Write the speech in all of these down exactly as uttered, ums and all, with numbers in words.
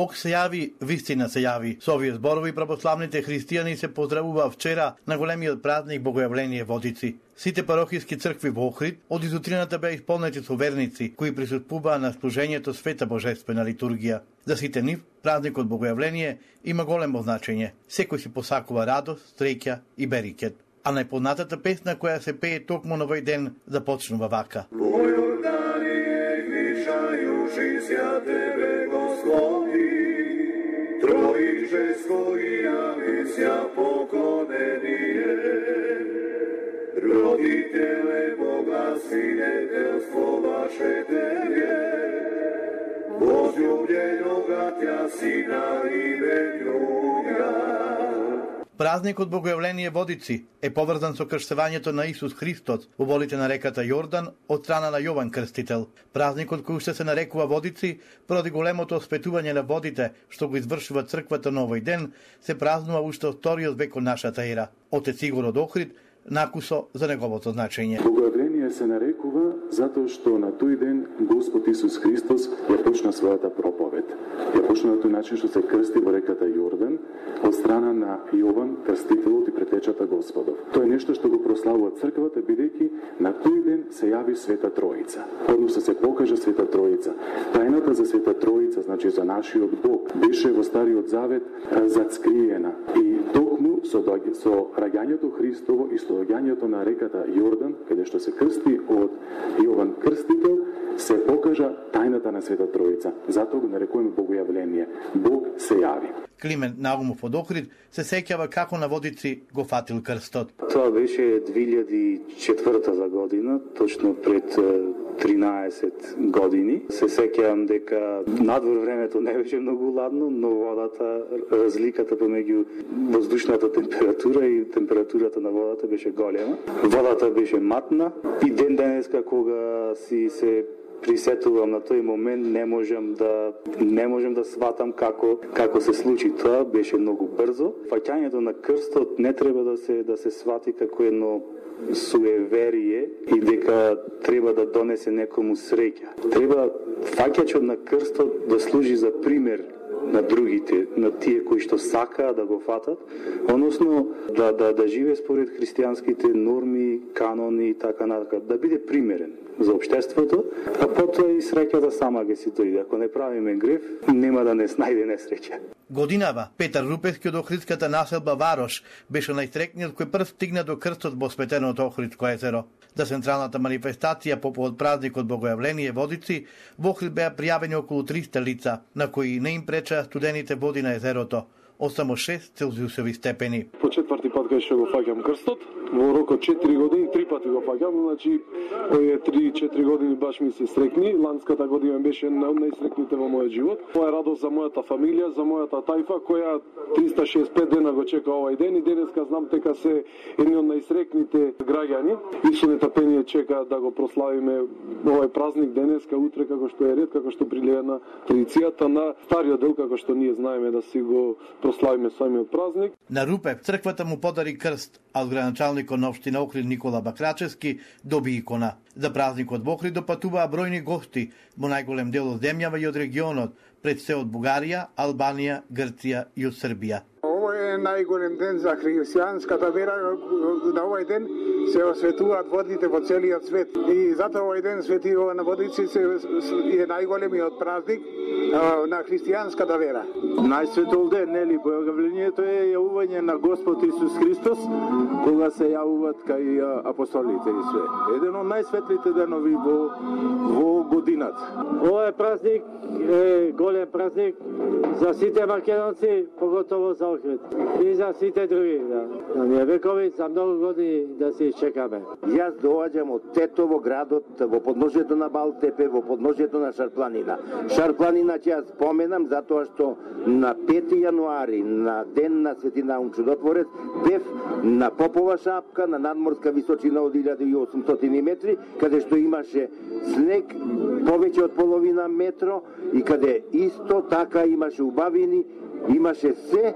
Бог се јави, вистина се јави. Со овие зборови православните христијани се поздравува вчера на големиот празник Богојавление Водици. Сите парохиски цркви во Охрид од изутрината беа исполнети со верници кои присуствуваа на служењето Света Божествена литургија. За сите нив празникот Богојавление има големо значење. Секој си посакува радост, среќа и берикет. А најпознатата песна која се пее токму на овој ден започнува вака. Roditele Boga, svinetelstvo vaše Tebe, возлюбljenoga Tja Sina i Venjuja. Празникот Богојавление Водици е поврзан со крштевањето на Исус Христос во водите на реката Јордан од страна на Јован Крстител. Празникот кој уште се нарекува Водици, поради големото осветување на водите што го извршува црквата на овој ден, се празнува уште од вториот век од нашата ера. Отец Игор од Охрид накусо за неговото значење. Богојавление се нарекува затоа што на тој ден Господ Исус Христос ја почна својата проповед. Ја почна на тој начин што се крсти во реката Јордан од страна на Јован Крстителот и претечата Господов. Тоа е нешто што го прославува црквата, бидејќи на тој ден се јави Света Троица. Односно се покажа Света Троица. Тајната за Света Троица, значи за нашиот Бог, беше во Стариот Завет зацкриена. И токму со, со раѓањето Христово и со доаѓањето на реката Јордан, каде што се крсти од Јован Крстител, се покажа тајната на Света Троица. Затоа го нарекуваме Богојавление. Бог се јави. Климент Наумов од Охрид се сеќава како на Водици го фатил крстот. Тоа беше две илјади и четврта година, точно пред тринаесет години. Се сеќавам дека надвор времето не беше многу ладно, но водата, разликата помеѓу воздушната температура и температурата на водата беше голема. Водата беше матна и ден денеска кога си се присетувам на тој момент, не можам да не можам да сватам како како се случи тоа, беше многу брзо. Фаќањето на крстот не треба да се да се свати како едно суеверие и дека треба да донесе некому среќа. Треба фаќачот на крстот да служи за пример на другите, на тие кои што сакаат да го фатат, односно да да да живее според христијанските норми, канони и така натаму, да биде примерен за општеството, а потоа и среќата сама ќе си дојде. Ако не правиме грев, нема да не снајде несреќа. Годинава Петар Рупевски од охридската населба Варош беше најстрекниот кој прв стигна до крстот во осветеното Охридско езеро. За централната манифестација по повод празникот Богојавление Водици во Охрид беа пријавени околу триста лица, на кои не им преча студените води на езерото, од само шест целзиусови степени. По четврти пат кај што го фаќам крстот, во рок од четири години, три пати го фаќам, значи овие три-четири години баш ми се срекни. Ланската година беше најсрекните во мојот живот. Тоа е радост за мојата фамилија, за мојата тајфа, која триста шеесет и пет дена го чека овој ден и денеска знам дека се едни од најсрекните граѓани и со нетапение чека да го прославиме овој празник денеска, утре како што е ред, како што прилега на традицијата на стариот дел, како што ние знаеме да си го прославиме самиот празник. На Рупев црквата му подари крст, а од градоначалникот на општина Охрид Никола Бакрачевски доби икона. За празникот во Охрид допатуваа бројни гости во најголем дел од земјава и од регионот, пред се од Бугарија, Албанија, Грција и од Србија. Ово е најголем ден за христијанската вера. На овој ден се осветуваат водите во целиот свет. И затоа овој ден Свети Јован на Водици се е најголемиот празник на христијанската вера. Најсветол ден, нели, Богојавлението е јавување на Господ Исус Христос, кога се јавуваат кај апостолите и све. Еден од најсветлите денови во, во годината. Овој празник е голем празник за сите македонци, поготово за Охрид. И за сите други, да. На ние векови, за многу години да се изчекаме. Јас доаѓам од Тетово, градот во подножјето на Балтепе, во подножјето на Шарпланина. Шарпланина ќе ја споменам затоа што на пети јануари, на ден на Свети Наум Чудотворец, бев на Попова шапка, на надморска височина од илјада и осумстотини метри, каде што имаше снег повеќе од половина метро и каде исто така имаше убавини имаше се,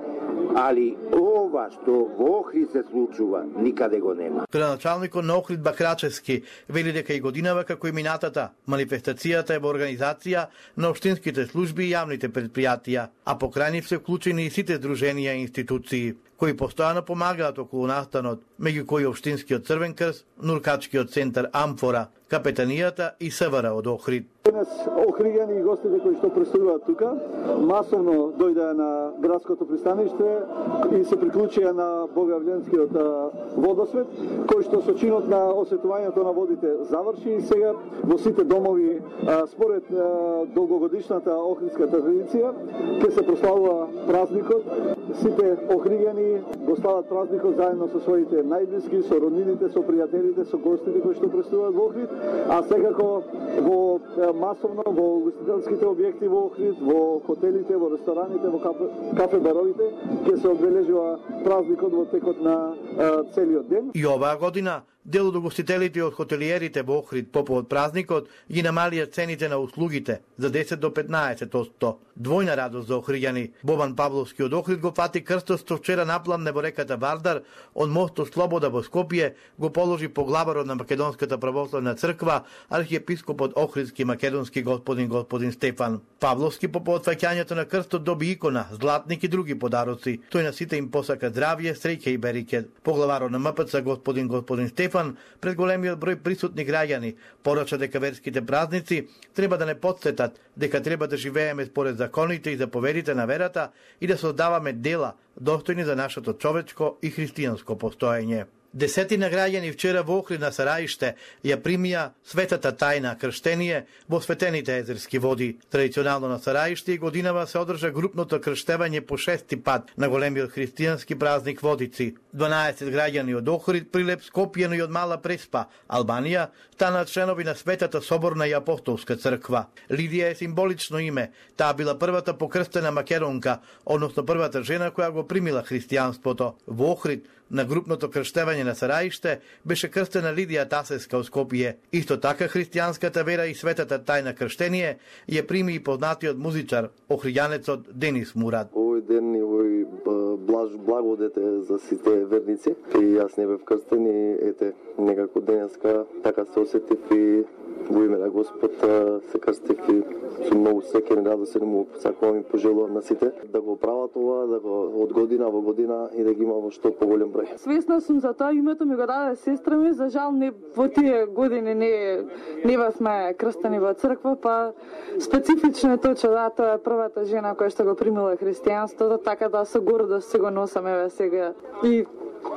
али ова што во Охрид се случува, никаде го нема. Градоначалникот на Охрид Бакрачевски вели дека и годинава како и минатата, манифестацијата е во организација на општинските служби и јавните предпријатија, а покрај нив се вклучени и сите здруженија и институции, кои постојано помагаат околу настанот, меѓу кои Општинскиот Црвен крст, Нуркачкиот центар Амфора, Капетанијата и СВР од Охрид. Денес охриѓани и гостите кои што пристигуваат тука, масовно дојдеа на градското пристаниште и се приклучија на Богојавленскиот водосвет, кој што со чинот на осветувањето на водите заврши и сега во сите домови, според долгогодишната охридска традиција, ќе се прославува празникот. Сите охриѓани го слават празникот заедно со своите најблиски, со роднините, со пријателите, со гостите кои што пристигуваат во Охрид, а секако во масовно во угостителските објекти во Охрид, во хотелите, во рестораните, во кафе, кафе баровите ќе се одбележува празникот во текот на а, целиот ден. И оваа година дел од угостителите и од хотелиерите во Охрид по повод празникот ги намалија цените на услугите за десет до петнаесет одсто. Двојна радост за охриѓани. Бобан Павловски од Охрид го фати крстот што вчера напламне во реката Вардар, од мостот Слобода во Скопје го положи поглаварот на Македонската православна црква, архиепископот Охридски македонски господин господин Стефан. Павловски по повод фаќањето на крстот доби икона, златник и други подароци. Тој на сите им посака здравје, среќа и берекет. Поглаварот на МПЦ господин господин Стефан пред големиот број присутни граѓани порача дека верските празници треба да не потсетат дека треба да живееме според законите и заповедите на верата и да создаваме дела достојни за нашето човечко и христијанско постоење. Десетина граѓани вчера во Охрид на Сараиште ја примија светата тајна крштение во светените езерски води. Традиционално на Сараиште и годинава се одржа групното крштевање по шести пат на големиот христијански празник Водици. дванаесет граѓани од Охрид, Прилеп, Скопје, но и од Мала Преспа, Албанија, станаат членови на Светата соборна и апостолска црква. Лидија е символично име. Таа била првата покрстена македонка, односно првата жена која го примила христијанството. Во Охрид на групното крштевање на Сараиште беше крстена Лидија Тасеска од Скопје. Исто така христијанската вера и светата тајна крштение ја прими и познатиот музичар, охриѓанецот Денис Мурад. Овој ден и овој блаж благодет е за сите верници. И јас не бев крстен и ете некако денеска така се осетив и во име на Господ се крстив и со многу среќа и радост му сакувам и пожелувам на сите да го прават ова, да го од година во година и да ги има во што поголем број. Свесна сум за тоа, името ми го даде сестра ми, за жал не во тие години не не бевме крстени во црква, па специфично е тоа, че да, тоа е првата жена која што го примила христијанството, така да со гордост се го носам еве сега и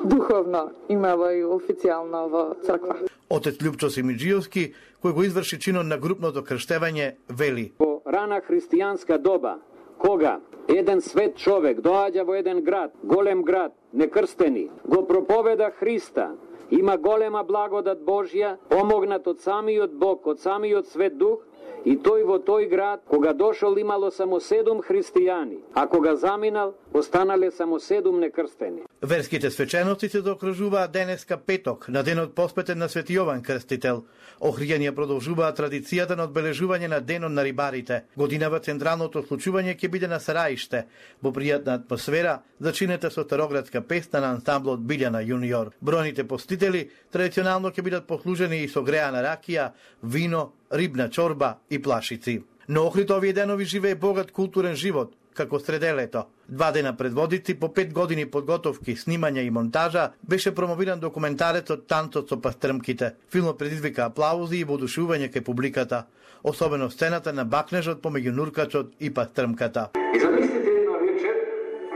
духовно имава и официјално во црква. Отец Љупчо Симиџиевски, кој го изврши чинот на групното крштевање, вели: Во рана христијанска доба, кога еден свет човек доаѓа во еден град, голем град, некрстени, го проповеда Христа, има голема благодат Божја, помогнат од самиот Бог, од самиот Свет Дух, и тој во тој град, кога дошол имало само седум христијани, а кога заминал, останале само седум некрстени. Верските свечености се заокружуваат денеска петок, на денот посветен на Свети Јован Крстител. Охриѓани продолжуваат традицијата на одбележување на денот на рибарите. Годинава централното случување ќе биде на Сараиште, во пријатна атмосфера, зачинета со староградска песна на ансамблот Билјана Јуниор. Бројните постители традиционално ќе бидат послужени и со греана ракија, вино, рибна чорба и плашици. Но Охрид овие денови живее богат културен живот, како сределето. Два дена пред Водици, по пет години подготовки, снимања и монтажа, беше промовиран документарецот Танцот со пастрмките. Филмот предизвика аплаузи и воодушевување кај публиката, особено сцената на бакнежот помеѓу нуркачот и пастрмката. И замислите една вечер,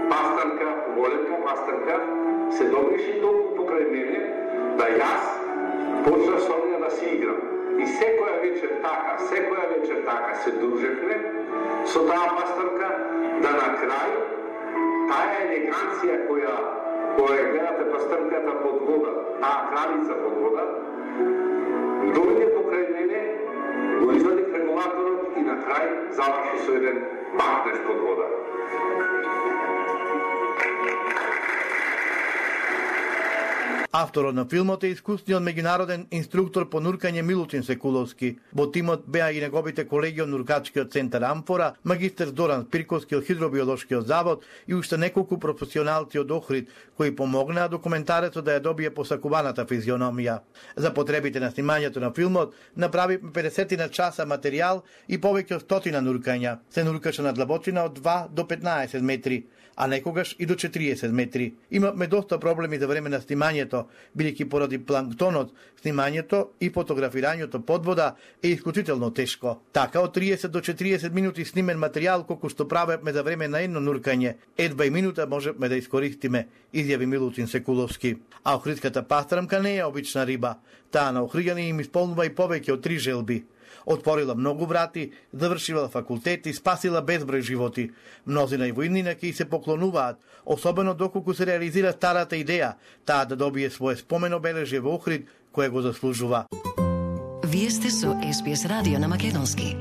пастрмка, големка пастрмка, се добриши толку покрај мене, да јас почнав со неја да си играм. И секоја вечер така, секоја вечер така се дружевме со таа пастрмка, да на крај таа елеганција која која гледате пастрмката под вода, таа кралица под вода, дојде покрај мене, го извади регулаторот и на крај заврши со еден бакнеж под вода. Авторот на филмот е искусниот меѓународен инструктор по нуркање Милутин Секуловски. Во тимот беа и неговите колеги од нуркачкиот центар Амфора, магистер Зоран Спирковски од Хидробиолошкиот завод и уште неколку професионалци од Охрид, кои помогнаа документарецот да ја добие посакуваната физиономија. За потребите на снимањето на филмот направивме педесет на часа материјал и повеќе од стотина нуркања. Се нуркаше на длабочина од два до петнаесет метри, а некогаш и до четириесет метри. Имавме доста проблеми за време на снимањето, бидејќи поради планктонот, снимањето и фотографирањето под вода е исклучително тешко. Така од триесет до четириесет минути снимен материјал колку што правевме за време на едно нуркање, едва и минута можевме да искористиме, изјави Милутин Секуловски. А охридската пастрамка не е обична риба. Таа на охриѓани им исполнува и повеќе од три желби. Отворила многу врати, завршила факултет и спасила безброј животи. Мнозина и војнина ки се поклонуваат, особено доколку се реализира старата идеја, таа да добие свое спомен обележје во Охрид, кое го заслужува. Вие сте со Ес Би Ес радио на македонски.